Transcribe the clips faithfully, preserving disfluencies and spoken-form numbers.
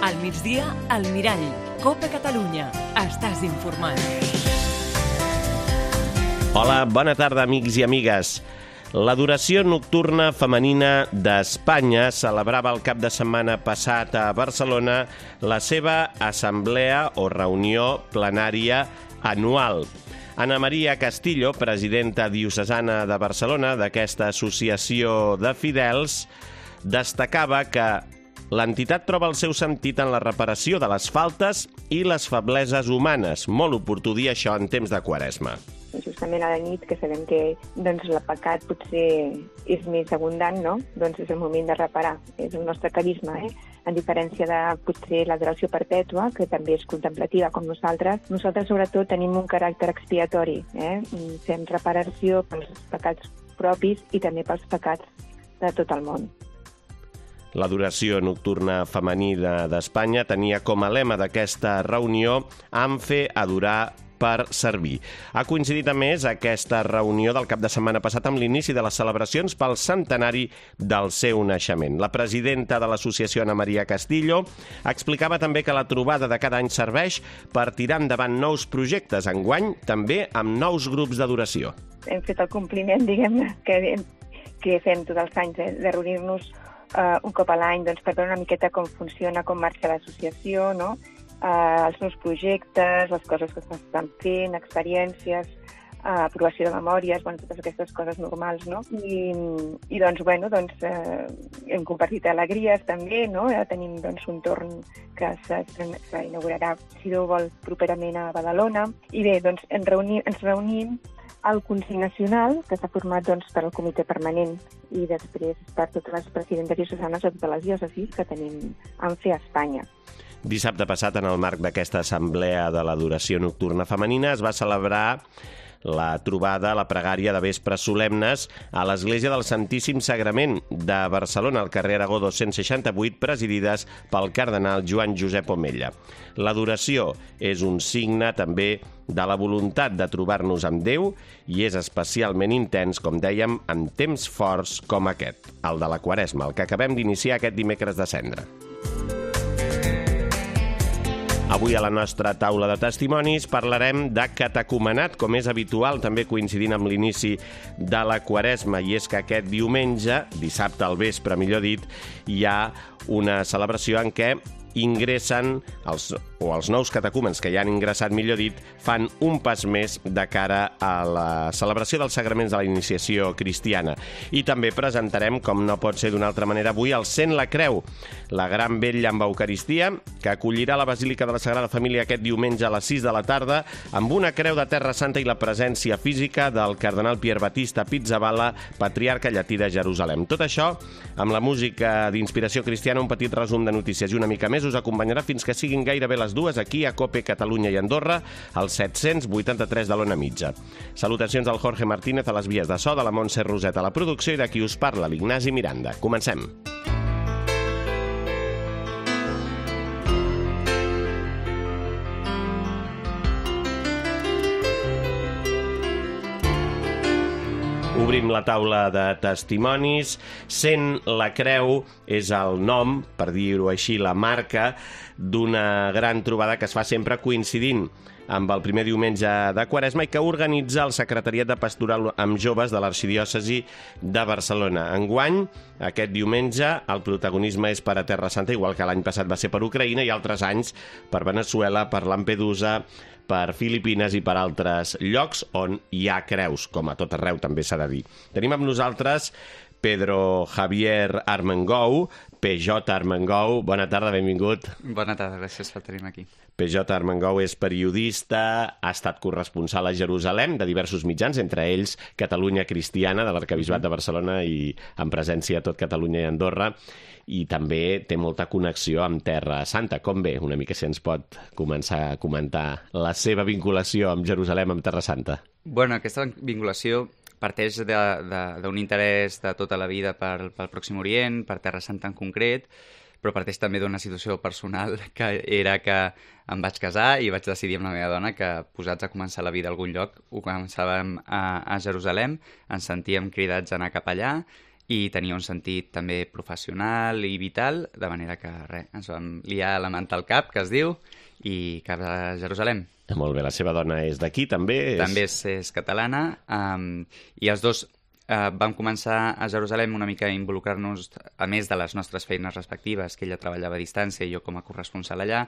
Al migdia, al Mirall. Copa Catalunya. Estàs informat. Hola, bona tarda, amics i amigues. L'adoració nocturna femenina d'Espanya celebrava el cap de setmana passat a Barcelona la seva assemblea o reunió plenària anual. Ana Maria Castillo, presidenta diocesana de Barcelona d'aquesta associació de fidels, destacava que l'entitat troba el seu sentit en la reparació de les faltes i les febleses humanes. Molt oportú dir això en temps de Quaresma. Justament a la nit, que sabem que doncs, el pecat potser és més abundant, no? Doncs és el moment de reparar. És el nostre carisma, eh? En diferència de potser l'adoració perpètua, que també és contemplativa com nosaltres. Nosaltres, sobretot, tenim un caràcter expiatori. Eh? Fem reparació pels pecats propis i també pels pecats de tot el món. L'adoració nocturna femenina d'Espanya tenia com a lema d'aquesta reunió "Am fe adorar per servir". Ha coincidit a més aquesta reunió del cap de setmana passat amb l'inici de les celebracions pel centenari del seu naixement. La presidenta de l'associació, Ana Maria Castillo, explicava també que la trobada de cada any serveix per tirar endavant nous projectes, enguany també amb nous grups d'adoració. Hem fet el compliment, diguem, que, que fem tots els anys, eh, de reunir-nos uh, un cop a l'any doncs, per veure una miqueta com funciona, com marxa l'associació, no? Uh, els nous projectes, les coses que s'estan fent, experiències, uh, aprovació de memòries, bueno, totes aquestes coses normals, no? I, i doncs, bueno, doncs, uh, hem compartit alegries també, no? Ja tenim doncs, un torn que s'inaugurarà, si Déu vol, properament a Badalona. I bé, doncs, ens reunim, ens reunim al Consell Nacional, que s'ha format doncs, per al comitè permanent i després per totes les presidentes diocesanes de totes les diòcesis que tenim en fe a Espanya. Dissabte passat, en el marc d'aquesta assemblea de l'adoració nocturna femenina, es va celebrar la trobada, la pregària de vespres solemnes a l'Església del Santíssim Sagrament de Barcelona, al carrer Aragó dos-cents seixanta-vuit, presidides pel cardenal Joan Josep Omella. L'adoració és un signe també de la voluntat de trobar-nos amb Déu i és especialment intens, com dèiem, en temps forts com aquest, el de la Quaresma, el que acabem d'iniciar aquest dimecres de Cendra. Avui a la nostra taula de testimonis parlarem de catecumenat, com és habitual, també coincidint amb l'inici de la Quaresma, i és que aquest diumenge, dissabte al vespre, millor dit, hi ha una celebració en què ingressen, els, o els nous catecúmens que ja han ingressat, millor dit, fan un pas més de cara a la celebració dels sagraments de la iniciació cristiana. I també presentarem, com no pot ser d'una altra manera avui, el Sent la Creu, la gran vetlla amb Eucaristia, que acollirà la Basílica de la Sagrada Família aquest diumenge a les sis de la tarda, amb una creu de Terra Santa i la presència física del cardenal Pier Battista Pizzaballa, patriarca llatí de Jerusalem. Tot això, amb la música d'inspiració cristiana, un petit resum de notícies i una mica més us acompanyarà fins que siguin gairebé les dues aquí a Cope Catalunya i Andorra, al set-cents vuitanta-tres de l'Ona Mitja. Salutacions al Jorge Martínez a les vies de so, de la Montse Roset a la producció i de qui us parla, l'Ignasi Miranda. Comencem. Obrim la taula de testimonis. Sent la Creu és el nom, per dir-ho així, la marca d'una gran trobada que es fa sempre coincidint amb el primer diumenge de Quaresma i que organitza el Secretariat de Pastoral amb Joves de l'Arxidiòcesi de Barcelona. Enguany, aquest diumenge, el protagonisme és per a Terra Santa, igual que l'any passat va ser per Ucraïna i altres anys per Veneçuela, per Lampedusa, per Filipines i per altres llocs on hi ha creus, com a tot arreu també s'ha de dir. Tenim amb nosaltres Pedro Javier Armengou, P J Armengou. Bona tarda, benvingut. Bona tarda, gràcies per tenir-me aquí. P J Armengou és periodista, ha estat corresponsal a Jerusalem de diversos mitjans, entre ells Catalunya Cristiana, de l'Arquebisbat de Barcelona i amb presència a tot Catalunya i Andorra, i també té molta connexió amb Terra Santa. Com ve? Una mica si ens pot començar a comentar la seva vinculació amb Jerusalem, amb Terra Santa. Bueno, aquesta vinculació parteix d'un interès de tota la vida pel, pel Pròxim Orient, per Terra Santa en concret, però parteix també d'una situació personal que era que em vaig casar i vaig decidir amb la meva dona que, posats a començar la vida a algun lloc, ho començàvem a, a Jerusalem, ens sentíem cridats a anar cap allà i tenia un sentit també professional i vital, de manera que res, ens vam liar la manta al cap, que es diu, i cap a Jerusalem. Molt bé, la seva dona és d'aquí, també? És... També és, és catalana, um, i els dos uh, vam començar a Jerusalem una mica a involucrar-nos, a més de les nostres feines respectives, que ella treballava a distància i jo com a corresponsal allà,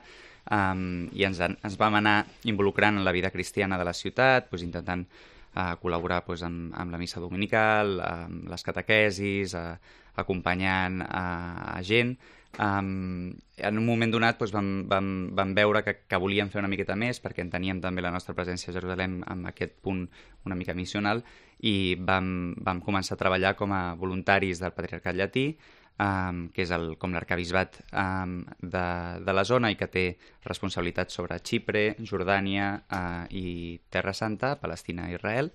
um, i ens, ens vam anar involucrant en la vida cristiana de la ciutat, doncs, intentant a col·laborar doncs, amb, amb la missa dominical, amb les catequesis, a, acompanyant a, a gent. Um, en un moment donat doncs, vam, vam, vam veure que, que volíem fer una miqueta més perquè enteníem també la nostra presència a Jerusalem amb aquest punt una mica missional i vam, vam començar a treballar com a voluntaris del Patriarcat Llatí, Um, que és el, com l'arcabisbat um, de, de la zona i que té responsabilitats sobre Xipre, Jordània uh, i Terra Santa, Palestina i Israel.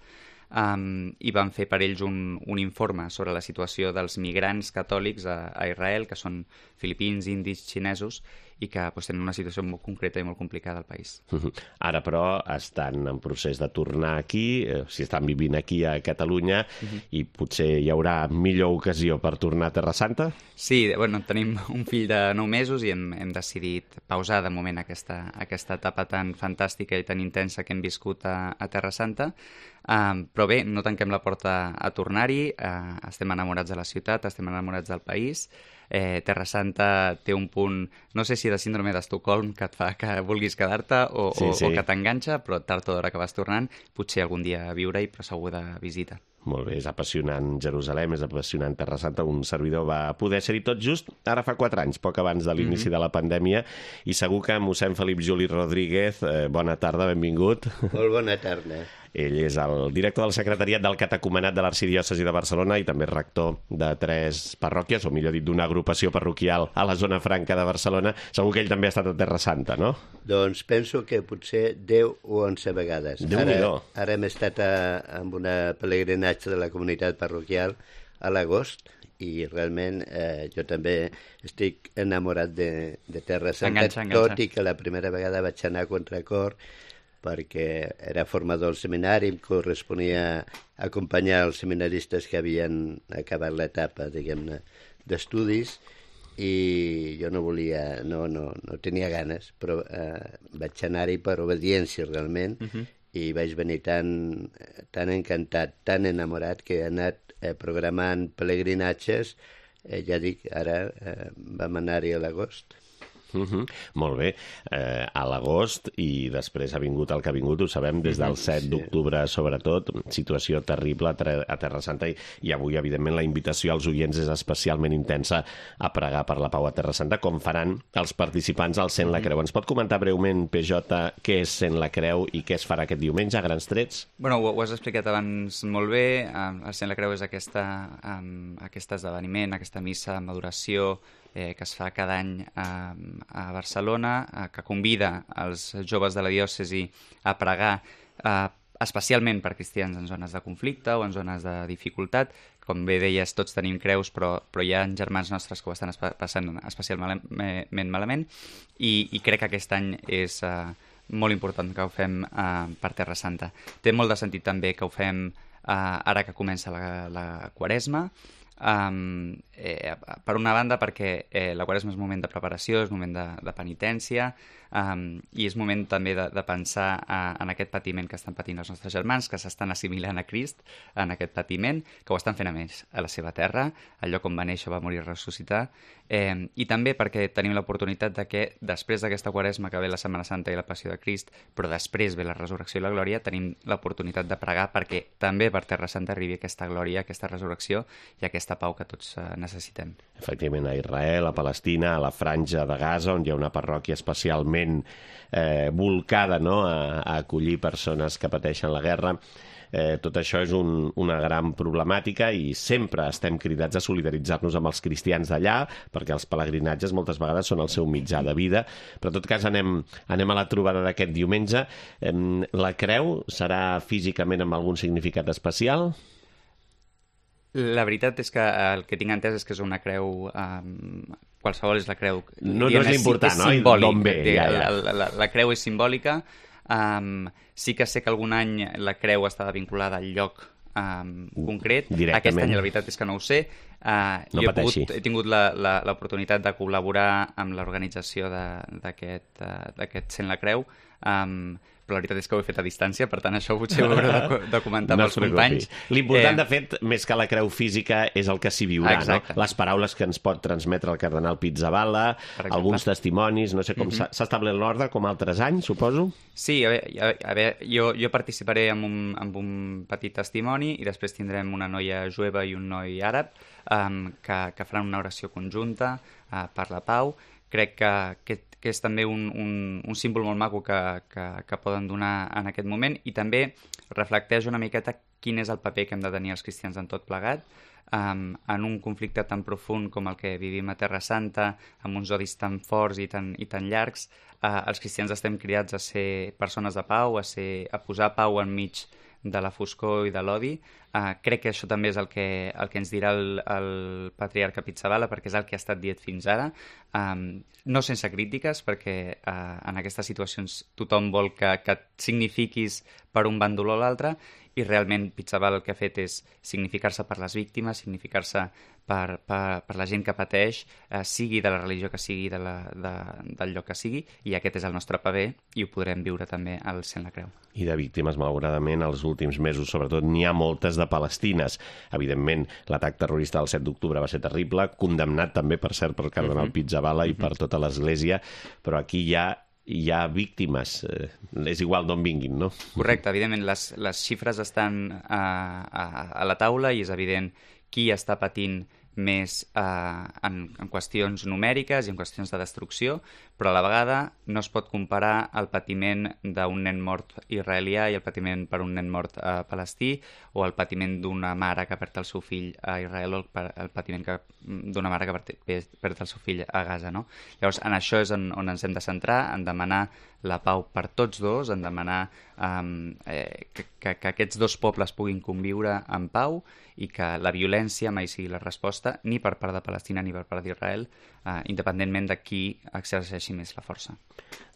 Um, I van fer per ells un, un informe sobre la situació dels migrants catòlics a, a Israel, que són filipins, indis, xinesos, i que doncs, tenen una situació molt concreta i molt complicada al país. Ara, però, estan en procés de tornar aquí, eh, si estan vivint aquí a Catalunya, uh-huh. i potser hi haurà millor ocasió per tornar a Terra Santa? Sí, bueno, tenim un fill de nou mesos i hem, hem decidit pausar de moment aquesta, aquesta etapa tan fantàstica i tan intensa que hem viscut a, a Terra Santa. Um, però bé, no tanquem la porta a tornar-hi, uh, estem enamorats de la ciutat, estem enamorats del país. Eh, Terra Santa té un punt, no sé si de síndrome d'Estocolm, que et fa que vulguis quedar-te o, sí, sí. o, o que t'enganxa, però tard o d'hora que vas tornant, potser algun dia a viure-hi, però segur de visita. Molt bé, és apassionant Jerusalem, és apassionant Terra Santa. Un servidor va poder ser-hi tot just ara fa quatre anys, poc abans de l'inici mm-hmm. de la pandèmia, i segur que mossèn Felip Juli Rodríguez, eh, bona tarda, benvingut. Molt bona tarda. Ell és el director del secretariat del catecumenat de l'Arxidiòcesi de Barcelona i també rector de tres parròquies, o millor dit, d'una agrupació parroquial a la zona franca de Barcelona. Segur que ell també ha estat a Terra Santa, no? Doncs penso que potser deu o onze vegades. Ara, ara hem estat a, amb una pelegrinatge de la comunitat parroquial a l'agost i realment eh, jo també estic enamorat de, de Terra Santa, enganxa, enganxa. Tot i que la primera vegada vaig anar a contracor perquè era formador al seminari, em corresponia acompanyar els seminaristes que havien acabat l'etapa, diguem-ne, d'estudis, i jo no volia, no, no, no tenia ganes, però eh, vaig anar-hi per obediència realment, uh-huh. i vaig venir tan, tan encantat, tan enamorat, que he anat eh, programant pelegrinatges, eh, ja dic, ara eh, vam anar-hi a l'agost. Uh-huh. Molt bé, eh, a l'agost i després ha vingut el que ha vingut, ho sabem, des del set sí. d'octubre sobretot, situació terrible a, ter- a Terra Santa i, i avui evidentment la invitació als oients és especialment intensa a pregar per la pau a Terra Santa, com faran els participants al Sent la Creu. Ens pot comentar breument, P J, què és Sent la Creu i què es farà aquest diumenge a grans trets? Bueno, ho, ho has explicat abans molt bé, um, el Sent la Creu és aquesta, um, aquest esdeveniment, aquesta missa amb adoració Eh, que es fa cada any a, a Barcelona, eh, que convida els joves de la diòcesi a pregar eh, especialment per cristians en zones de conflicte o en zones de dificultat. Com bé deies, tots tenim creus, però, però hi ha germans nostres que ho estan espa- passant especialment malament, i, i crec que aquest any és eh, molt important que ho fem eh, per Terra Santa. Té molt de sentit també que ho fem eh, ara que comença la, la Quaresma. Um, eh, per una banda perquè eh, la Quaresma és un moment de preparació, és un moment de, de penitència, um, i és moment també de, de pensar uh, en aquest patiment que estan patint els nostres germans, que s'estan assimilant a Crist en aquest patiment, que ho estan fent a més a la seva terra, al lloc on va néixer, va morir i ressuscitar, eh, i també perquè tenim l'oportunitat de que després d'aquesta Quaresma que ve la Setmana Santa i la Passió de Crist, però després ve la resurrecció i la glòria, tenim l'oportunitat de pregar perquè també per Terra Santa arribi aquesta glòria, aquesta resurrecció i aquesta pau que tots uh, necessitem. Efectivament, a Israel, a Palestina, a la Franja de Gaza, on hi ha una parròquia especialment eh, volcada, no?, a, a acollir persones que pateixen la guerra. Eh, tot això és un, una gran problemàtica i sempre estem cridats a solidaritzar-nos amb els cristians d'allà, perquè els pelegrinatges moltes vegades són el seu mitjà de vida, però en tot cas anem, anem a la trobada d'aquest diumenge. Eh, la creu serà físicament amb algun significat especial? La veritat és que el que tinc entès és que és una creu... Um, qualsevol és la creu... No, no és l'important, és no? Simbòlic, D'on ve, ja, ja. La, la, la creu és simbòlica. Um, sí que sé que algun any la creu estava vinculada al lloc um, concret. Directament. Aquest any la veritat és que no ho sé. Uh, no jo he, pateixi. pogut, he tingut l'oportunitat de col·laborar amb l'organització d'aquest uh, Sent la Creu, um, però la veritat és que ho he fet a distància, per tant això potser ho hauré de, de comentar no amb els companys. L'important, eh... de fet, més que la creu física, és el que s'hi viurà, no? Les paraules que ens pot transmetre el cardenal Pizzaballa, alguns testimonis, no sé com mm -hmm. s'ha establert l'ordre, com altres anys, suposo? Sí, a veure, a veure jo, jo participaré amb un, amb un petit testimoni i després tindrem una noia jueva i un noi àrab um, que, que faran una oració conjunta uh, per la pau. Crec que, que, que és també un, un, un símbol molt maco que, que, que poden donar en aquest moment i també reflecteix una miqueta quin és el paper que hem de tenir els cristians en tot plegat, um, en un conflicte tan profund com el que vivim a Terra Santa, amb uns odis tan forts i tan, i tan llargs. Uh, els cristians estem cridats a ser persones de pau, a, ser, a posar pau enmig de la foscor i de l'odi. Uh, crec que això també és el que, el que ens dirà el, el patriarca Pizzaballa, perquè és el que ha estat dit fins ara. Um, no sense crítiques, perquè uh, en aquestes situacions tothom vol que, que et signifiquis per un bàndol o l'altre, i realment Pizzaballa el que ha fet és significar-se per les víctimes, significar-se per, per, per la gent que pateix, eh, sigui de la religió que sigui, de la, de, del lloc que sigui, i aquest és el nostre paper i ho podrem viure també al Sent la Creu. I de víctimes, malauradament, els últims mesos, sobretot, n'hi ha moltes de palestines. Evidentment, l'atac terrorista del set d'octubre va ser terrible, condemnat també, per cert, pel cardenal uh-huh. Pizzaballa i uh-huh. per tota l'Església, però aquí hi ha hi ha víctimes, eh, és igual d'on vinguin, no? Correcte, evidentment, les, les xifres estan a, a, a la taula i és evident qui està patint més eh, en, en qüestions numèriques i en qüestions de destrucció, però a la vegada no es pot comparar el patiment d'un nen mort israelià i el patiment per un nen mort eh, palestí, o el patiment d'una mare que perd el seu fill a Israel, o el, el patiment d'una mare que perd el seu fill a Gaza, no? Llavors, en això és on, on ens hem de centrar, en demanar la pau per tots dos, en demanar um, eh, que, que, que aquests dos pobles puguin conviure en pau i que la violència mai sigui la resposta, ni per part de Palestina ni per part d'Israel, eh, independentment de qui exerceixi més la força.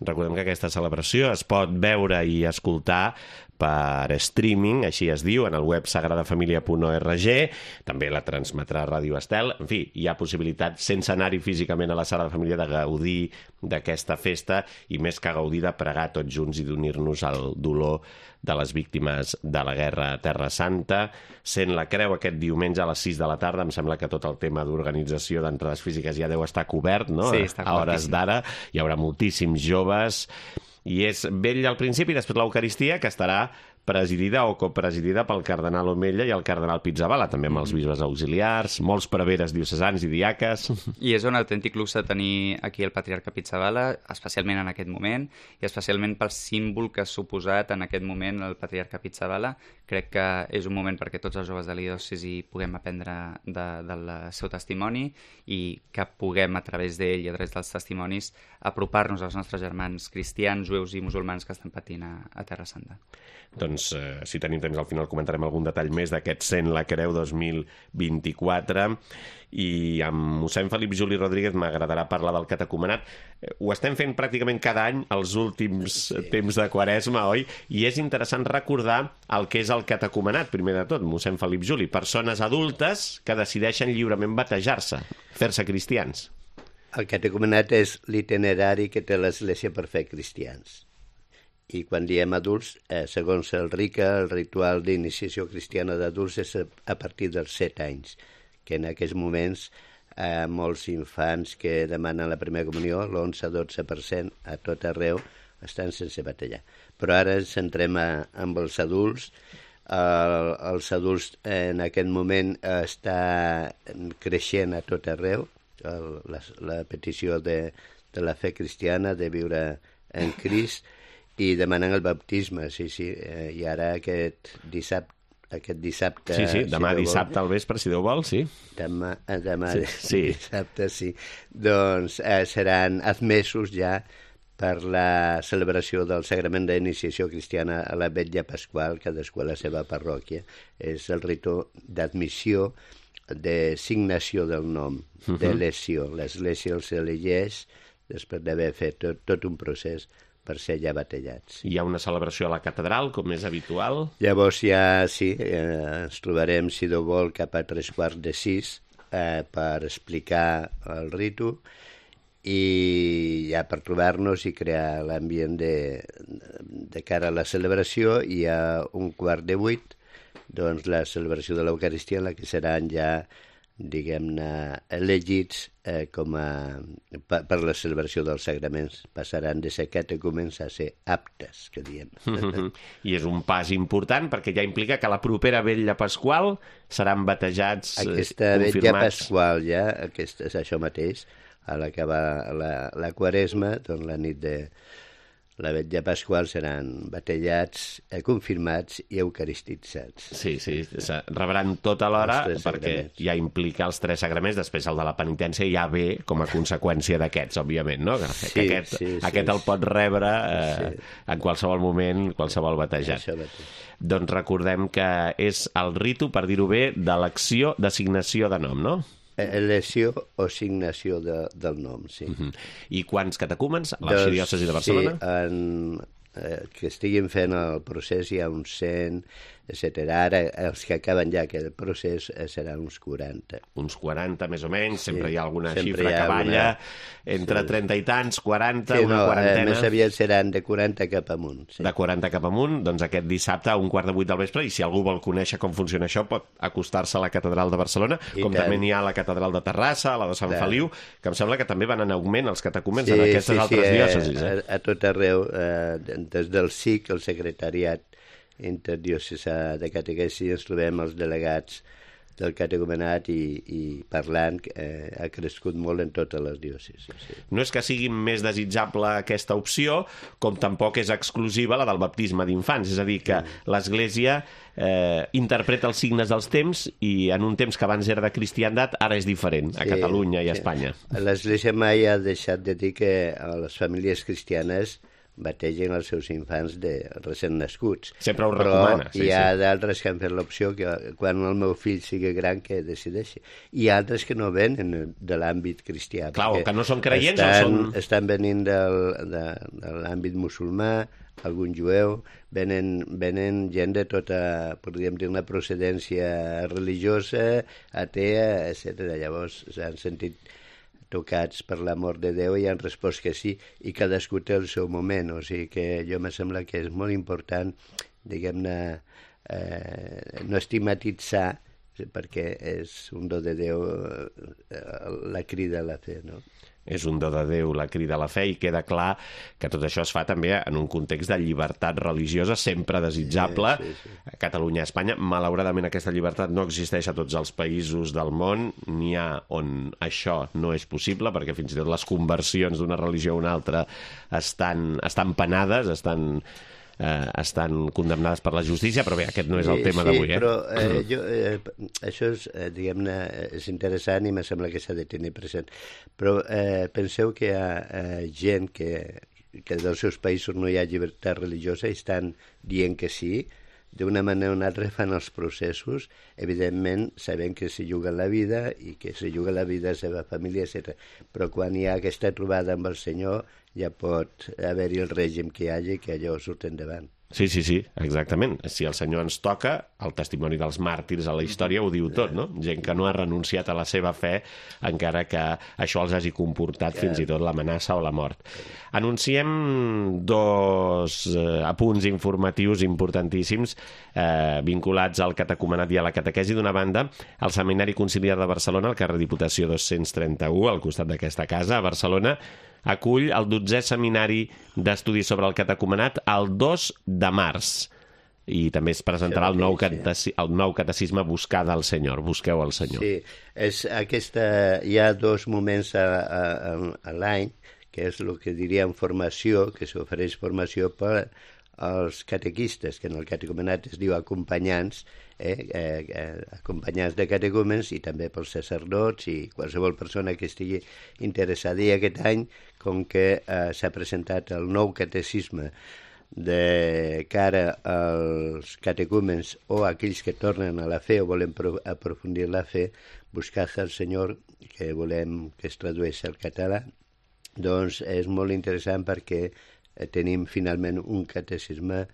Recordem que aquesta celebració es pot veure i escoltar per streaming, així es diu, en el web sagradafamilia punt org, també la transmetrà Ràdio Estel. En fi, hi ha possibilitat, sense anar-hi físicament a la Sagrada Família, de gaudir d'aquesta festa i més que gaudir de pregar tots junts i d'unir-nos al dolor de les víctimes de la guerra a Terra Santa. Sent la Creu aquest diumenge a les sis de la tarda, em sembla que tot el tema d'organització d'entrades físiques ja deu estar cobert, no? Sí, està a hores d'ara hi haurà moltíssims joves i és vell al principi, després l'Eucaristia, que estarà presidida o copresidida pel cardenal Omella i el cardenal Pizzaballa, també amb els bisbes auxiliars, molts preveres diocesans i diaques. I és un autèntic luxe tenir aquí el patriarca Pizzaballa, especialment en aquest moment, i especialment pel símbol que ha suposat en aquest moment el patriarca Pizzaballa. Crec que és un moment perquè tots els joves de la diòcesi puguem aprendre de, del seu testimoni i que puguem, a través d'ell i a través dels testimonis, apropar-nos als nostres germans cristians, jueus i musulmans que estan patint a, a Terra Santa. Doncs, eh, si tenim temps, al final comentarem algun detall més d'aquest Sent la Creu dos mil vint-i-quatre, i amb mossèn Felip Juli Rodríguez m'agradarà parlar del catecumenat. Eh, ho estem fent pràcticament cada any els últims sí. temps de Quaresma, oi? I és interessant recordar el que és el catecumenat, primer de tot, mossèn Felip Juli. Persones adultes que decideixen lliurement batejar-se, fer-se cristians. El catecumenat és l'itinerari que té l'Església per fer cristians. I quan diem adults, eh, segons el RICA, el ritual d'iniciació cristiana d'adults és a partir dels set anys, que en aquests moments eh, molts infants que demanen la primera comunió, l'onze a dotze per cent a tot arreu, estan sense batejar. Però ara ens centrem a, amb els adults. El, els adults en aquest moment està creixent a tot arreu, el, la, la petició de, de la fe cristiana, de viure en Crist, i demanen el baptisme, sí, sí. Eh, I ara aquest dissabte, aquest dissabte... Sí, sí, demà si dissabte al vespre, si Déu vol, sí. Demà, demà sí, sí. dissabte, sí. Doncs eh, seran admesos ja per la celebració del sagrament d'iniciació cristiana a la vetlla pasqual, cadascú a la seva parròquia. És el ritu d'admissió, de signació del nom, uh-huh. d'elecció. L'Església els elegeix després d'haver fet tot, tot un procés per ser ja batejats. Hi ha una celebració a la catedral, com és habitual? Llavors ja, sí, eh, ens trobarem, si Déu vol, cap a tres quarts de sis eh, per explicar el ritu i ja per trobar-nos i crear l'ambient de, de cara a la celebració, i a un quart de vuit doncs la celebració de l'Eucaristia, en la que seran ja, diguem-ne, elegits eh, com a, per, per la celebració dels sagraments. Passaran de ser catecúmens a ser aptes, que diem. I és un pas important, perquè ja implica que la propera vetlla pasqual seran batejats, aquesta confirmats. vetlla pasqual ja, aquesta, és això mateix, a l'acabar la, la quaresma, doncs la nit de la vetlla pasqual seran batejats, eh, confirmats i eucaristitzats. Sí, sí, rebran tot alhora, perquè sagraments. ja implica els tres sagraments, després el de la penitència ja ve com a conseqüència d'aquests, òbviament, no? Que Sí, aquest, sí, sí, aquest el pot rebre eh, sí. en qualsevol moment, qualsevol batejat. Això mateix. Doncs recordem que és el ritu, per dir-ho bé, d'elecció, d'assignació de nom, no? Elecció o assignació de, del nom, sí. Uh-huh. I quants catecúmens a l'arxidiòcesi de Barcelona? Sí, en, eh, que estiguin fent el procés hi ha uns cent, etcètera. Ara, els que acaben ja aquest procés eh, seran uns quaranta. Uns quaranta, més o menys, Sí, sempre hi ha alguna sempre xifra hi ha que balla alguna- entre sí. trenta i tants, quaranta, Sí, una no, eh, quarantena... més aviat seran de quaranta cap amunt. Sí. De quaranta cap amunt, doncs aquest dissabte a un quart de vuit del vespre, i si algú vol conèixer com funciona això, pot acostar-se a la catedral de Barcelona, I com tant. també n'hi ha a la catedral de Terrassa, a la de Sant Clar. Feliu, que em sembla que també van en augment els catecúmens en aquestes altres eh, diòcesis. Eh? A, a tot arreu, eh, des del S I C, el secretariat interdiocesà de catequesi, ens trobem els delegats del catecumenat i, i parlant, eh, ha crescut molt en totes les diòcesis. Sí. No és que sigui més desitjable aquesta opció, com tampoc és exclusiva la del baptisme d'infants, és a dir, que l'Església eh, interpreta els signes dels temps i en un temps que abans era de cristiandat, ara és diferent a Sí, Catalunya i a sí. Espanya. L'Església mai ha deixat de dir que a les famílies cristianes bategen els seus infants de recent nascuts. Sempre ho Però recomana, sí, hi ha sí. d'altres que han fet l'opció que quan el meu fill sigui gran que decideixi. Hi ha altres que no venen de l'àmbit cristià. Clar, o perquè que no són creients estan, o són... Estan venint del, de, de l'àmbit musulmà, algun jueu, venen, venen gent de tota, podríem dir, una procedència religiosa, atea, etcètera. Llavors s'han sentit tocats per l'amor de Déu i han respost que sí, i cadascú té el seu moment, o sigui que jo me sembla que és molt important, diguem-ne, eh, no estigmatitzar, perquè és un do de Déu eh, la crida a la fe, no? És un do de Déu, la crida a la fe, i queda clar que tot això es fa també en un context de llibertat religiosa sempre desitjable. Sí, sí, sí. A Catalunya, a Espanya, malauradament aquesta llibertat no existeix a tots els països del món, n'hi ha on això no és possible, perquè fins i tot les conversions d'una religió a una altra estan, estan penades, estan... Eh, estan condemnades per la justícia, però bé, aquest no és el tema sí, d'avui. Eh? Però eh, jo, eh, això és, eh, diguem-ne, és interessant i me sembla que s'ha de tenir present. Però eh, penseu que hi ha eh, gent que, que dels seus països no hi ha llibertat religiosa i estan dient que sí, d'una manera o una altra fan els processos, evidentment sabent que s'hi juga la vida i que s'hi juga la vida a la seva família, etcètera. Però quan hi ha aquesta trobada amb el Senyor ja pot haver-hi el règim que hi hagi, que allò surt endavant. Sí, sí, sí, exactament. Si el Senyor ens toca, el testimoni dels màrtirs a la història ho diu tot, no? Gent que no ha renunciat a la seva fe, encara que això els hagi comportat fins i tot l'amenaça o la mort. Anunciem dos eh, apunts informatius importantíssims eh, vinculats al catecumenat i a la catequesi. D'una banda, el Seminari Conciliar de Barcelona, al carrer Diputació dos-cents trenta-u, al costat d'aquesta casa, a Barcelona, acull el dotzè seminari d'estudis sobre el catecumenat el dos de març. I també es presentarà el nou, cateci el nou catecisme Buscar del Senyor. Busqueu el Senyor. Sí, és aquesta, hi ha dos moments a, a, a l'any, que és el que diríem formació, que s'ofereix formació per als catequistes, que en el catecumenat es diu acompanyants, eh, eh, eh, acompanyants de catecúmens, i també pels sacerdots i qualsevol persona que estigui interessada. I aquest any, com que eh, s'ha presentat el nou catecisme de cara als catecúmens o a aquells que tornen a la fe o volen aprofundir la fe, Buscar el Senyor, que volem que es tradueixi al català, doncs és molt interessant perquè tenim finalment un catecisme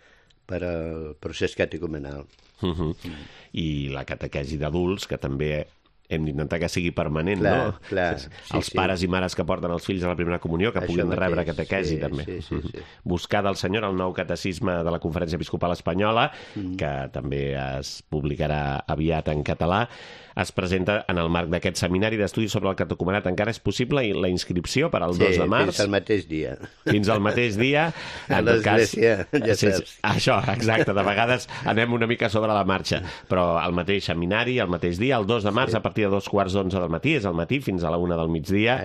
per al procés catecumenal. Uh-huh. Mm. I la catequesi d'adults, que també hem d'intentar que sigui permanent, clar, no? Clar, sí, els sí. pares i mares que porten els fills a la primera comunió, que Això puguin mateix, rebre catequesi, sí, també. Sí, sí, sí. Buscar del Senyor el nou catecisme de la Conferència Episcopal Espanyola, mm. que també es publicarà aviat en català, es presenta en el marc d'aquest seminari d'estudis sobre el catecumenat. Encara és possible la inscripció per al sí, dos de març? Fins al mateix dia. Fins al mateix dia. A l'església, ja sí, saps. Això, exacte. De vegades anem una mica sobre la marxa, però el mateix seminari, el mateix dia, el dos de març, sí. A partir de dos quarts d'onze del matí, és al matí fins a la una del migdia,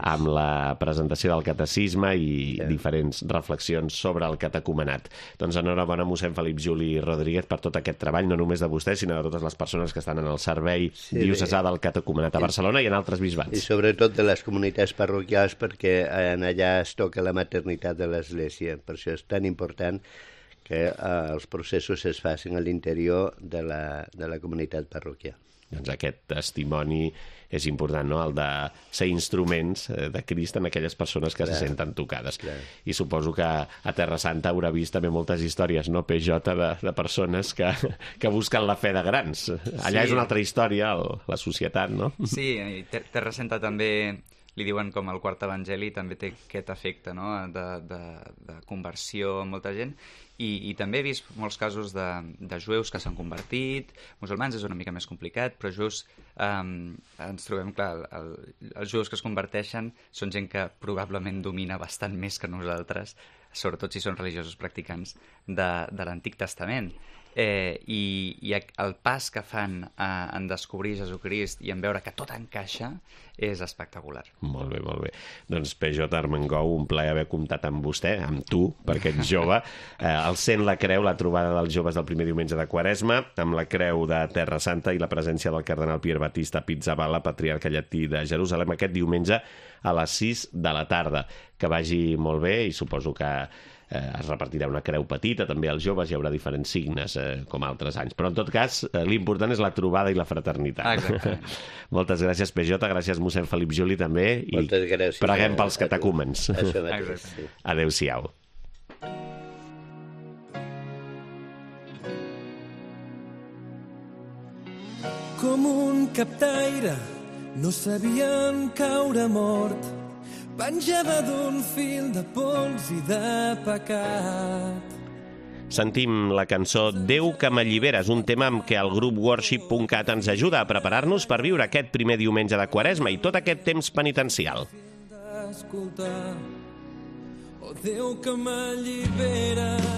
amb la presentació del catecisme i sí. diferents reflexions sobre el catecumenat. Doncs enhorabona, mossèn Felip Juli Rodríguez, per tot aquest treball, no només de vostè, sinó de totes les persones que estan en el servei sí, diocesà del catecumenat a Barcelona i en altres bisbats. I sobretot de les comunitats parroquials, perquè en allà es toca la maternitat de l'Església. Per això és tan important que eh, els processos es facin a l'interior de la, de la comunitat parroquial. Doncs aquest testimoni és important, no?, el de ser instruments de Crist en aquelles persones que clar, se senten tocades. Clar. I suposo que a Terra Santa haurà vist també moltes històries, no?, P J, de, de persones que, que busquen la fe de grans. Allà sí. És una altra història, el, la societat, no? Sí, Terra Santa també li diuen com el quart evangeli, també té aquest efecte, no?, de, de, de conversió en molta gent. I, i també he vist molts casos de, de jueus que s'han convertit, musulmans és una mica més complicat, però jueus um, ens trobem, clar, el, els jueus que es converteixen són gent que probablement domina bastant més que nosaltres, sobretot si són religiosos practicants de, de l'Antic Testament. Eh, i, i el pas que fan a, en descobrir Jesucrist i en veure que tot encaixa és espectacular. Molt bé, molt bé. Doncs P J Armengou, un plaer haver comptat amb vostè, amb tu, perquè ets jove. Eh, el Cent la Creu, la trobada dels joves del primer diumenge de Quaresma, amb la Creu de Terra Santa i la presència del cardenal Pier Battista Pizzaballa, patriarca llatí de Jerusalem, aquest diumenge a les sis de la tarda. Que vagi molt bé i suposo que Eh, es repartirà una creu petita, també als joves hi haurà diferents signes, eh, com altres anys. Però en tot cas, eh, l'important és la trobada i la fraternitat. Exactament. Moltes gràcies, P J, gràcies, mossèn Felip Juli, també, i moltes gràcies, preguem pels catecúmens. Això mateix, sí. Adéu-siau. Com un captaire, no sabíem caure mort, penjava d'un fil de pols i de pecat. Sentim la cançó Déu que m'alliberes, un tema amb què el grup worship punt cat ens ajuda a preparar-nos per viure aquest primer diumenge de Quaresma i tot aquest temps penitencial. Oh, Déu que m'alliberes.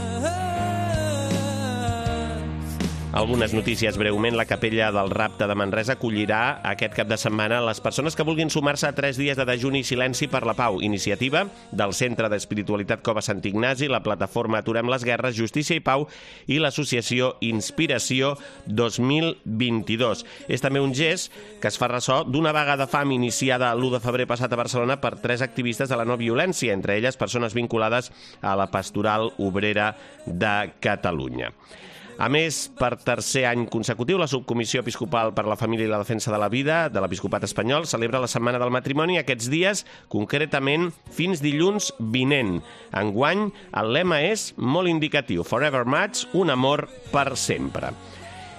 Algunes notícies breument. La Capella del Rapte de Manresa acollirà aquest cap de setmana les persones que vulguin sumar-se a tres dies de dejuni i silenci per la pau. Iniciativa del Centre d'Espiritualitat Cova Sant Ignasi, la plataforma Aturem les Guerres, Justícia i Pau i l'associació Inspiració dos mil vint-i-dos. És també un gest que es fa ressò d'una vaga de fam iniciada l'u de febrer passat a Barcelona per tres activistes de la no violència, entre elles persones vinculades a la Pastoral Obrera de Catalunya. A més, per tercer any consecutiu, la Subcomissió Episcopal per la Família i la Defensa de la Vida de l'Episcopat Espanyol celebra la Setmana del Matrimoni aquests dies, concretament fins dilluns vinent. Enguany, el lema és molt indicatiu: Forever Match, un amor per sempre.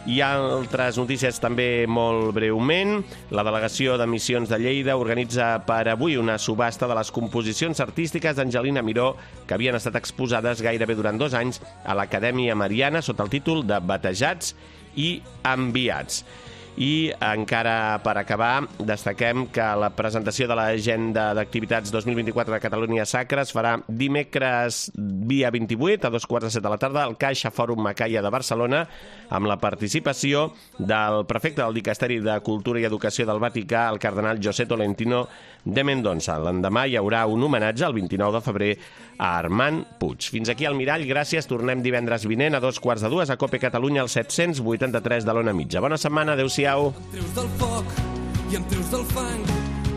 Hi ha altres notícies també molt breument. La Delegació de Missions de Lleida organitza per avui una subhasta de les composicions artístiques d'Angelina Miró que havien estat exposades gairebé durant dos anys a l'Acadèmia Mariana sota el títol de Batejats i Enviats. I encara per acabar, destaquem que la presentació de l'agenda d'activitats dos mil vint-i-quatre de Catalunya Sacra es farà dimecres dia vint-i-vuit a dos quarts de set de la tarda al Caixa Fòrum Macaia de Barcelona, amb la participació del prefecte del Dicasteri de Cultura i Educació del Vaticà, el cardenal José Tolentino de Mendoza. L'endemà hi haurà un homenatge el vint-i-nou de febrer a Armand Puig. Fins aquí al Mirall, gràcies. Tornem divendres vinent a dos quarts de dues a Cope Catalunya al set-cents vuitanta-tres de l'Ona Mitja. Bona setmana, adéu-siau. Em treus del foc i em treus del fang,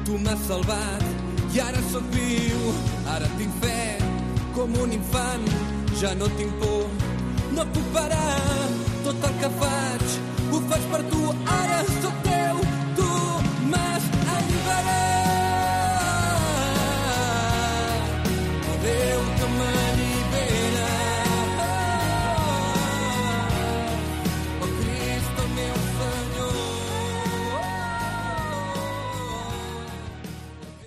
tu m'has salvat i ara sóc viu, ara tinc fe com un infant, ja no tinc por, no puc parar, tot el que faig ho faig per tu, ara sóc